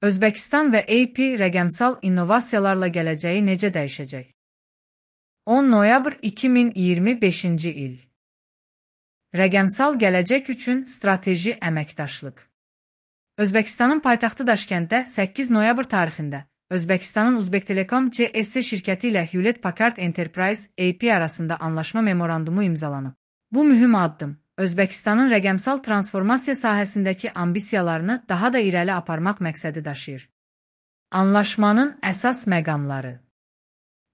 Özbəkistan və AP rəqəmsal innovasiyalarla gələcəyi necə dəyişəcək? 10 noyabr 2025-ci il. Rəqəmsal gələcək üçün strateji əməkdaşlıq. Özbəkistanın paytaxtı Daşkənddə 8 noyabr tarixində Özbəkistanın Uzbektelecom CS şirkəti ilə Hewlett-Packard Enterprise AP arasında anlaşma memorandumu imzalanıb. Bu mühüm addım Özbəkistanın rəqəmsal transformasiya sahəsindəki ambisiyalarını daha da irəli aparmaq məqsədi daşıyır. Anlaşmanın əsas məqamları.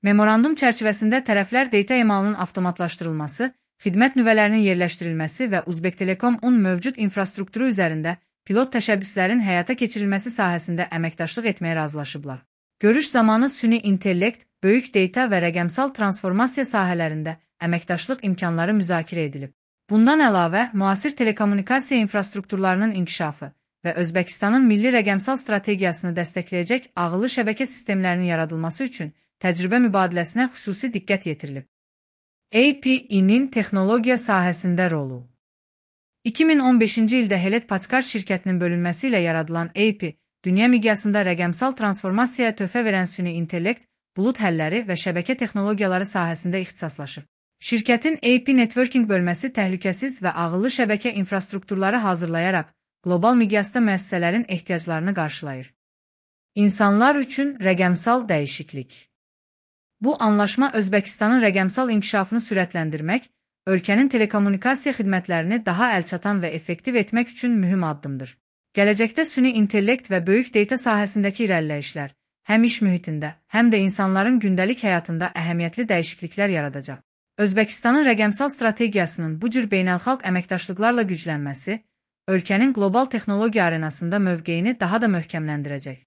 Memorandum çərçivəsində tərəflər data emalının avtomatlaşdırılması, xidmət nüvələrinin yerləşdirilməsi və Uzbektelecom-un mövcud infrastrukturu üzərində pilot təşəbbüslərin həyata keçirilməsi sahəsində əməkdaşlıq etməyə razılaşıblar. Görüş zamanı süni intellekt, böyük data və rəqəmsal transformasiya sahələrində əməkdaşlıq imkanları müzakirə edilib. Bundan əlavə, müasir telekommunikasiya infrastrukturlarının inkişafı və Özbəkistanın milli rəqəmsal strategiyasını dəstəkləyəcək ağıllı şəbəkə sistemlərinin yaradılması üçün təcrübə mübadiləsinə xüsusi diqqət yetirilib. AP-nin texnologiya sahəsində rolu. 2015-ci ildə Hewlett-Packard şirkətinin bölünməsi ilə yaradılan AP, dünya miqyasında rəqəmsal transformasiyaya töhfə verən süni intellekt, bulut həlləri və şəbəkə texnologiyaları sahəsində ixtisaslaşıb. Şirkətin AP Networking bölməsi təhlükəsiz və ağıllı şəbəkə infrastrukturları hazırlayaraq qlobal miqyasda müəssisələrin ehtiyaclarını qarşılayır. İnsanlar üçün rəqəmsal dəyişiklik. Bu anlaşma Özbəkistanın rəqəmsal inkişafını sürətləndirmək, ölkənin telekommunikasiya xidmətlərini daha əlçatan və effektiv etmək üçün mühüm addımdır. Gələcəkdə süni intellekt və böyük data sahəsindəki irəliləyişlər həm iş mühitində, həm də insanların gündəlik həyatında əhəmiyyətli dəyişikliklər yaradacaq. Özbəkistanın rəqəmsal strategiyasının bu cür beynəlxalq əməkdaşlıqlarla güclənməsi, ölkənin qlobal texnologiya arenasında mövqeyini daha da möhkəmləndirəcək.